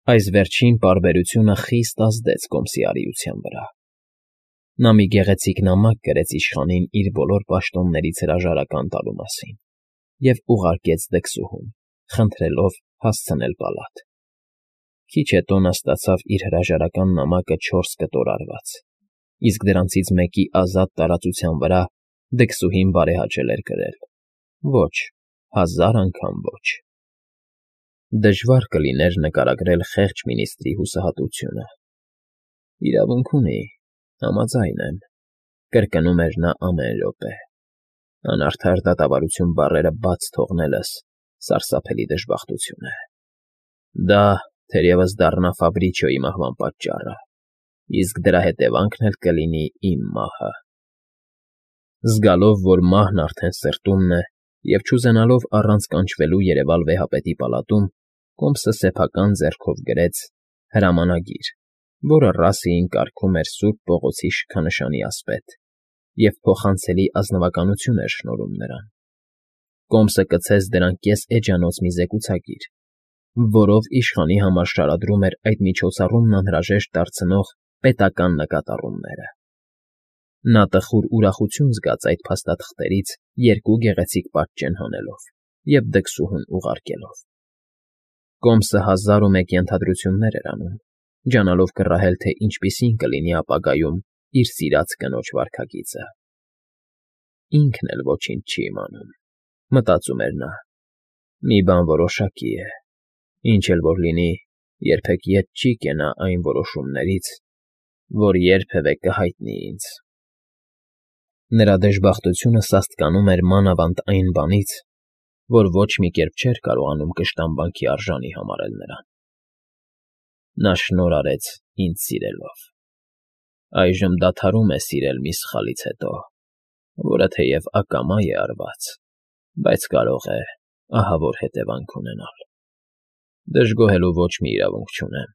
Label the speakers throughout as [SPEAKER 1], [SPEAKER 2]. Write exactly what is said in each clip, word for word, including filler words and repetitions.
[SPEAKER 1] Այս վերջին պարբերությունը խիստ ազդեց Կոմսի արիության վրա. նա մի գեղեցիկ նամակ գրեց իշխանին իր բոլոր պաշտոններից հրաժարական տալու մասին և ուղարկեց դքսուհուն, խնդրելով հասցնել պալատ. քիչ հետո նա ստացավ իր հրաժարական նամակը չորս կտոր արված, իսկ դրանցից մեկի ազատ տարածության վրա դքսուհին բարեհաճել էր գրել. ոչ, հազար անգամ ոչ… Դժվար կլիներ նկարագրել խեղճ մինիստրի հուսահատությունը։ «Իրավունք ունի, համաձայն եմ,֊ կրկնում էր նա ամեն րոպե,֊ անարդար դատավարություն բառերը բաց թողնելս սարսափելի դժբախտություն է… Դա, թերևս, դառնա Ֆաբրիչոյի մահվան պատճառը, իսկ դրա հետևանքն էլ կլինի իմ մահը»։ Զգալով, որ մահն արդեն սրտումն է, և չուզենալով առանց կանչվելու երևալ վեհապետի պալատում, Կոմսը սեփական ձեռքով գրեց հրամանագիր, որը Ռասիին կարգում էր Սուրբ Պողոսի շքանշանի ասպետ և փոխանցելի ազնվականություն էր շնորհում նրան։ Կոմսը կցեց դրան կես-էջանոց մի զեկուցագիր, որով իշխանի համար շարադրում էր այդ միջոցառումն անհրաժեշտ դարձնող պետական նկատառումները։ Նա տխուր ուրախություն զգաց այդ փաստաթղթերից երկու գեղեցիկ պատճեն հանելով և դքսուհուն ուղարկելով։ Կոմսը հազար ու մեկ ենթադրություններ էր անում, ջանալով կռահել, թե ինչպիսին կլինի ապագայում իր սիրած կնոջ վարքագիծը։ «Ինքն էլ ոչինչ չի իմանում,֊ մտածում էր նա,֊ մի բան որոշակի է. ինչ էլ որ լինի, երբեք ետ չի կենա այն որոշումներից, որ երբևէ կհայտնի ինձ»։ Նրա դժբախտությունը սաստկանում էր մանավանդ այն բանից, որ ոչ մի կերպ չէր կարողանում կշտամբանքի արժանի համարել նրան։ Նա շնորհ արեց ինձ սիրելով, այժմ դադարում է սիրել մի սխալից հետո, որը թեև ակամա է արված, բայց կարող է ահավոր հետևանք ունենալ։ Դժգոհելու ոչ մի իրավունք չունեմ։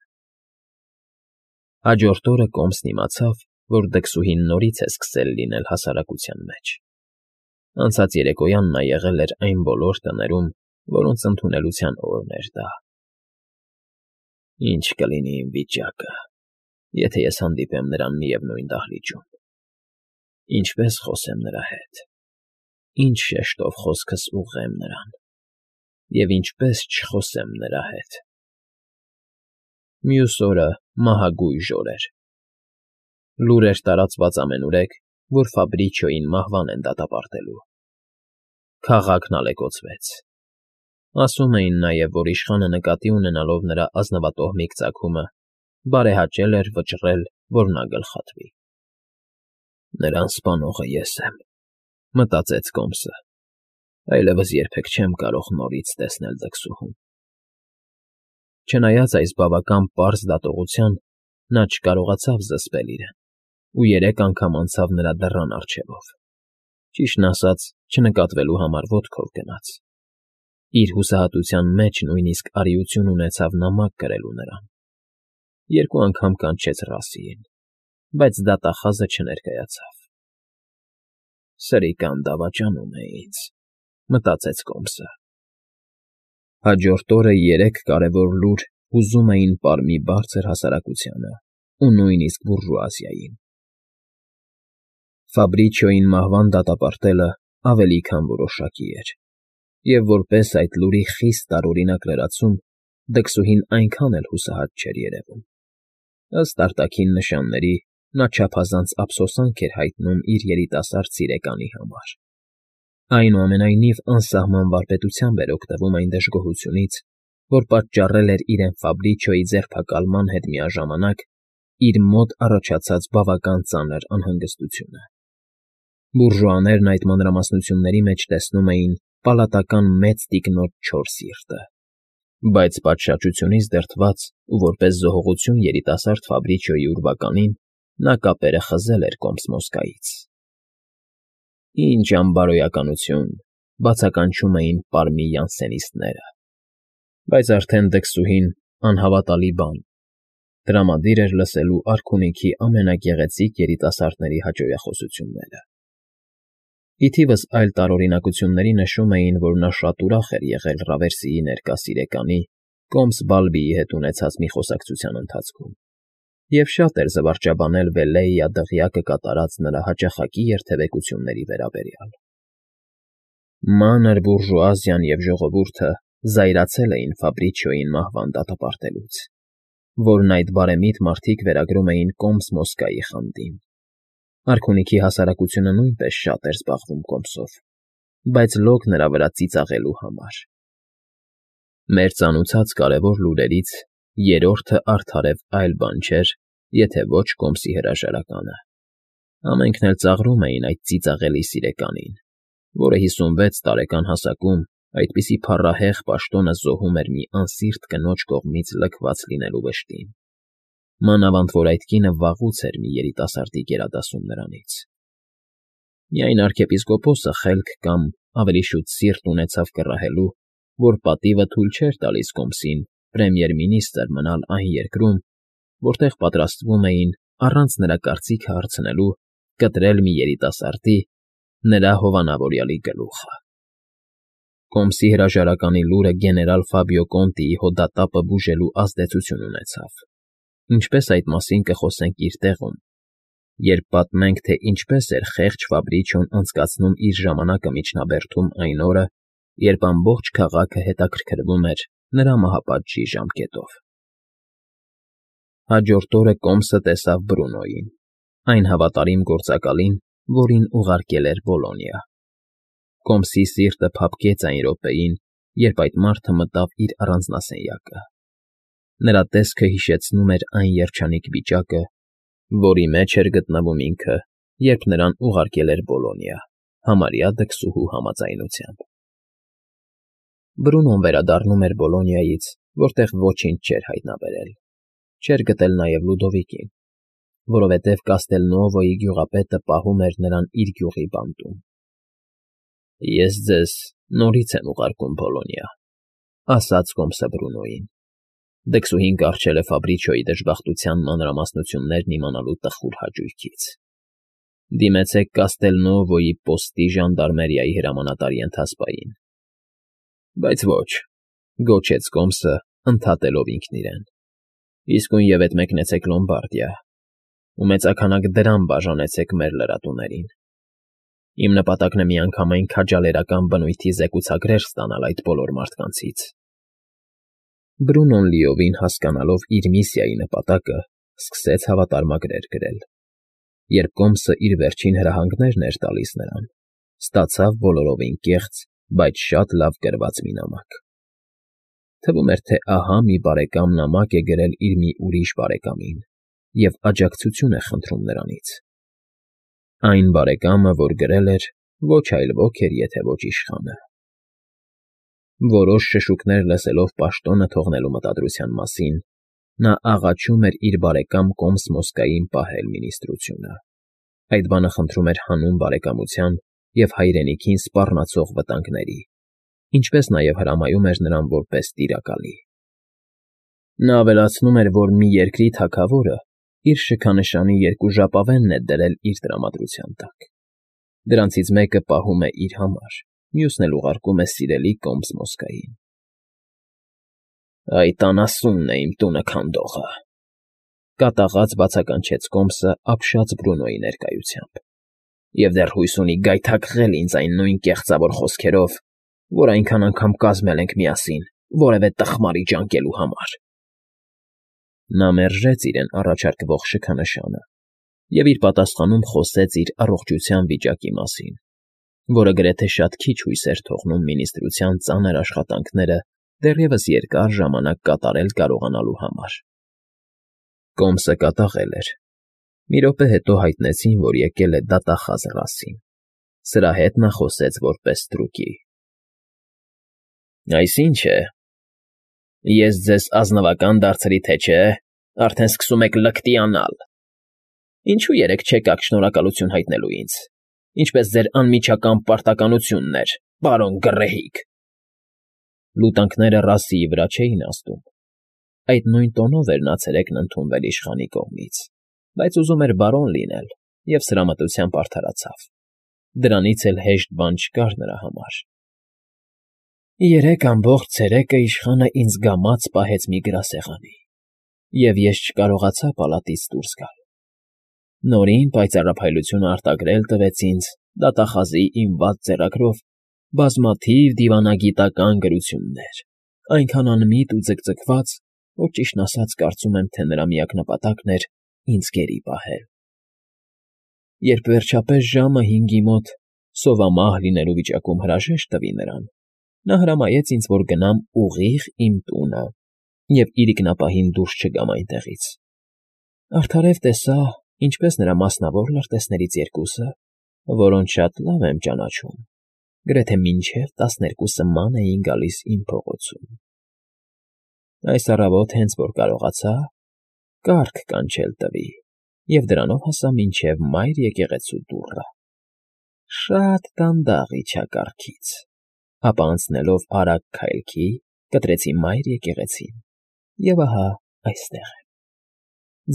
[SPEAKER 1] Հաջորդ օրը Կոմսն իմացավ, որ դքսուհին նորից է սկսել լինել հասարակության մեջ։ Անցած երեկոյան նա եղել էր այն բոլոր տներում, որոնց ընդունելության օրն էր դա։ Ի՞նչ կլինի իմ վիճակը, եթե ես հանդիպեմ նրան միևնույն դահլիճում… Ինչպե՞ս խոսեմ նրա հետ, ի՞նչ շեշտով խոսքս ուղղեմ նրան և ինչպե՞ս չխոսեմ նրա հետ… Մյուս օրը մահագույժ օր էր։ Լուր էր տարածված ամենուրեք, որ Ֆաբրիչոյին մահվան են դատապարտելու։ Քաղաքն ալեկոծվեց։ Ասում էին նաև, որ իշխանը նկատի ունենալով նրա ազնվատոհմիկ ծագումը, բարեհաճել էր վճռել, որ նա գլխատվի։ «Նրան սպանողը ես եմ,֊ մտածեց Կոմսը,֊ այլևս երբեք չեմ կարող նորից տեսնել դքսուհուն»։ Չնայած այս բավական պարզ դատողության, նա չկարողացավ զսպել իրեն ու երեք անգամ անցավ նրա դռան առջևով, ճիշտն ասած, չնկատվելու համար ոտքով գնաց։ Իր հուսահատության մեջ նույնիսկ արիություն ունեցավ նամակ գրելու նրան։ Երկու անգամ կանչեց Ռասիին, բայց դատախազը չներկայացավ։ «Սրիկան դավաճանում է ինձ,֊ մտածեց Կոմսը։ Հաջորդ օրը երեք կարևոր լուր հուզում էին պարմի բարձր հասարակությանը ու նույնիսկ բուրժուազիային։ Ֆաբրիչոյին մահվան դատապարտելը ավելի քան որոշակի էր, և որպես այդ լուրի խիստ տարօրինակ լրացում, դքսուհին այնքան էլ հուսահատ չէր երևում։ Ըստ արտաքին նշանների, նա չափազանց ափսոսանք էր հայտնում իր երիտասարդ սիրեկանի համար։ Այնուամենայնիվ անսահման վարպետությամբ էր օգտվում այն դժգոհությունից, որ պատճառել էր իրեն Ֆաբրիչոյի ձերբակալման հետ միաժամանակ իր մոտ առաջացած բավական ծանր անհանգստությունը։ Բուրժուաներն այդ մանրամասնությունների մեջ տեսնում էին պալատական մեծ տիկնոջ չոր սիրտը, բայց պատշաճությունից դրդված ու որպես զոհողություն երիտասարդ Ֆաբրիչոյի ուրվականին, նա կապերը խզել էր Կոմս֊Մոսկայից։ «Ինչ անբարոյականություն,֊ բացականչում էին պարմի յանսենիստները։ Բայց արդեն դքսուհին, անհավատալի բան, տրամադիր էր լսելու արքունիքի ամենագեղեցիկ երիտասարդների հաճոյախոսությունները։ Ի թիվս այլ տարօրինակությունների նշում էին, որ նա շատ ուրախ էր եղել Ռավերսիի ներկա սիրեկանի Կոմս֊Բալբիի հետ ունեցած մի խոսակցության ընթացքում, և շատ էր զվարճաբանել Վելլեիա դղյակը կատարած նրա հաճախակի երթևեկությունների վերաբերյալ։ Մանր բուրժուազիան և ժողովուրդը զայրացել էին Ֆաբրիչիոյին մահվան դատապարտելուց, որն այդ բարեմիտ մարդիկ վերագրում էին Կոմս֊Մոսկայի խանդին։ Արքունիքի հասարակությունը նույնպես շատ էր զբաղվում Կոմսով, բայց լոկ նրա վրա ծիծաղելու համար։ Մեր ծանուցած կարևոր լուրերից երրորդը արդարև այլ բան չէր, եթե ոչ Կոմսի հրաժարականը։ Ամենքն էլ ծաղրում էին այդ ծիծաղելի սիրեկանին, որը հիսունվեց տարեկան հասակում այդպիսի փառահեղ պաշտոնը զոհում էր մի անսիրտ կնոջ կողմից լքված լինելու վշտին, մանավանդ որ այդ կինը վաղուց էր մի երիտասարդի գերադասում նրանից։ Միայն arczepiskopos-ը խելք կամ, ավելի շուտ, սիրտ ունեցավ կռահելու, որ պատիվը թույլ չէր տալիս Կոմսին պրեմիեր֊մինիստրը մնալ այն երկրում, որտեղ պատրաստվում էին, առանց նրա կարծիքը հարցնելու, կտրել մի երիտասարդի, նրա հովանավորյալի գլուխը։ Կոմսի հրաժարականի լուրը գեներալ Ֆաբիո Կոնտիի հոդատապը բուժելու ազդեցություն ունեցավ, ինչպես այդ մասին կխոսենք իր տեղում, երբ պատմենք, թե ինչպես էր խեղճ Ֆաբրիչիոն անցկացնում իր ժամանակը միջնաբերդում այն օրը, երբ ամբողջ քաղաքը հետաքրքրվում էր նրա մահապատժի ժամկետով։ Հաջորդ օրը Կոմսը տեսավ Բրունոյին, այն հավատարիմ գործակալին, որին ուղարկել էր Բոլոնիա։ Կոմսի սիրտը փափկեց այն րոպեին, երբ այդ մարդը մտավ իր առանձնասենյակը։ Նրա տեսքը հիշեցնում էր այն երջանիկ վիճակը, որի մեջ էր գտնվում ինքը, երբ նրան ուղարկել էր Բոլոնիա, համարյա դքսուհու համաձայնությամբ։ Բրունոն վերադառնում էր Բոլոնիայից, որտեղ ոչինչ չէր հայտնաբերել։ Չէր գտել նաև Լուդովիկին, որովհետև Կաստելնուովոյի գյուղապետը պահում էր նրան իր գյուղի բանտում։ «Ես ձեզ նորից եմ ուղարկում Բոլոնիա», ասաց Կոմսը Բրունոյին։ Դքսուհին կառչել է Ֆաբրիչիոյի դժբախտության մանրամասնություններն իմանալու տխուր հաճույքից։ Դիմեցեք Կաստելնուովոյի պոստի ժանդարմերիայի հրամանատարի ընթացպային։ Բայց ոչ, գոչեց Կոմսը, ընդհատելով ինքն իրեն։ Իսկույնևեթ մեկնեցեք Լոմբարդիա ու մեծաքանակ դրամ բաժանեցեք մեր լրատուներին։ Իմ նպատակն է միանգամայն քաջալերական բնույթի զեկուցագրեր ստանալ այդ բոլոր մարդկանցից։ Բրունոն լիովին հասկանալով իր միսիայի նպատակը, սկսեց հավատարմագրեր գրել։ Երբ Կոմսը իր վերջին հրահանգներն էր տալիս նրան, ստացավ բոլորովին կեղծ, բայց շատ լավ գրված մի նամակ։ Թվում էր, թե ահա մի բարեկամ նամակ է գրել իր մի ուրիշ բարեկամին և աջակցություն է խնդրում նրանից։ Այն բարեկամը, որ գրել էր, ոչ այլ ոք էր, եթե ոչ իշխանը։ Որոշ շշուկներ լսելով պաշտոնը թողնելու մտադրության մասին, նա աղաչում էր իր բարեկամ Կոմս֊Մոսկային պահել մինիստրությունը։ Այդ բանը խնդրում էր հանուն բարեկամության և հայրենիքին սպառնացող վտանգների, ինչպես նաև հրամայում էր նրան որպես տիրակալի։ Նա ավելացնում էր, որ մի երկրի թագավորը իր շքանշանի երկու ժապավենն է դրել իր տրամադրության տակ։ Դրանցից մեկը պահում է իր համար, մյուսն էլ ուղարկում է սիրելի Կոմս֊Մոսկային։ Այդ անասունն է իմ տունը քանդողը, կատաղած բացականչեց Կոմսը ապշած Բրունոյի ներկայությամբ, և դեռ հույս ունի գայթակղել ինձ այն նույն կեղծավոր խոսքերով, որ այնքան անգամ կազմել ենք միասին որևէ տխմարի ջանկելու համար։ Նա մերժեց իրեն առաջարկվող շքանշանը և իր պատասխանում խոսեց իր առողջության վիճակի մասին, որը գրեթե շատ քիչ հույս էր թողնում մինիստրության ծանր աշխատանքները դեռևս երկար ժամանակ կատարել կարողանալու համար։ Կոմսը կատաղել էր։ Մի րոպե հետո հայտնեցին, որ եկել է դատախազ Ռասին։ Սրա հետ նա խոսեց որպես ստրուկի։ Այս ի՞նչ է։ Ես ձեզ ազնվակա՞ն դարձրի, թե չէ, արդեն սկսում եք լկտիանալ։ Ինչո՞ւ երեկ չեկաք շնորհակալություն հայտնելու ինձ, ինչպես ձեր անմիջական պարտականությունն էր, պարոն գռեհիկ։ Լուտանքները Ռասիի վրա չէին ազդում։ Այդ նույն տոնով էր նա ցերեկն ընդունվել իշխանի կողմից, բայց ուզում էր բարոն լինել և սրամտությամբ արդարացավ։ Դրանից էլ հեշտ բան չկար նրա համար։ Երեք ամբողջ ցերեկը իշխանը ինձ գամած պահեց մի գրասեղանի, և ես չկարողացա պալատից դուրս գալ։ Նորին պայծառափայլությունը արտագրել տվեց ինձ դատախազի իմ վատ ձեռագրով բազմաթիվ դիվանագիտական գրություններ, այնքան անմիտ ու ձգձգված, որ ճիշտն ասած կարծում եմ, թե նրա միակ նպատակն էր ինձ գերի պահել։ Երբ վերջապես ժամը հինգի մոտ սովամահ լինելու վիճակում հրաժեշտ տվի նրան, նա հրամայեց ինձ, որ գնամ ուղիղ իմ տունը և իրիկնապահին դուրս չգամ այնտեղից։ Արդարև տեսա, ինչպես նրա մասնավոր լրտեսներից երկուսը, որոնց շատ լավ եմ ճանաչում, գրեթե մինչև տասներկու սման էին գալիս իմ փողոցում։ Այս առավոտ հենց որ կարողացա, կառք կանչել տվի և դրանով հասա մինչև մայր եկեղեցու դուռը։ Շատ դանդաղ իջա կառքից, ապա անցնելով արագ քայլքի կտրեցի մայր եկեղեցին և ահա այստեղ եմ։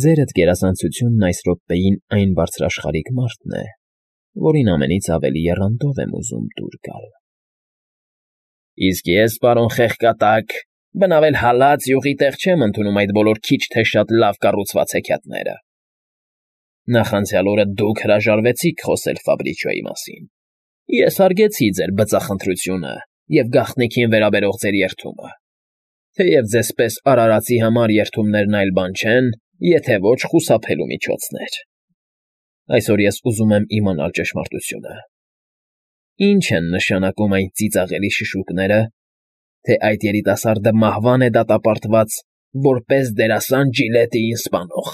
[SPEAKER 1] Ձերդ գերազանցությունն այս րոպեին այն բարձրաշխարհիկ մարդն է, որին ամենից ավելի եռանդով եմ ուզում դուր գալ։ ֊ Իսկ ես, պարոն Խեղկատակ, բնավ էլ հալած յուղի տեղ չեմ ընդունում այդ բոլոր քիչ թե շատ լավ կառուցված հեքիաթները. նախանցյալ օրը դուք հրաժարվեցիք խոսել Ֆաբրիչոյի մասին, ես հարգեցի ձեր բծախնդրությունը և գաղտնիքին վերաբերող ձեր երդումը, թեև ձեզ պես արարածի համար երդումներն այլ բան չեն, եթե ոչ խուսափելու միջոցներ։ Այսօր ես ուզում եմ իմանալ ճշմարտությունը. ի՞նչ են նշանակում այն ծիծաղելի շշուկները, թե այդ երիտասարդը մահվան է դատապարտված որպես դերասան Ջիլետիին սպանող։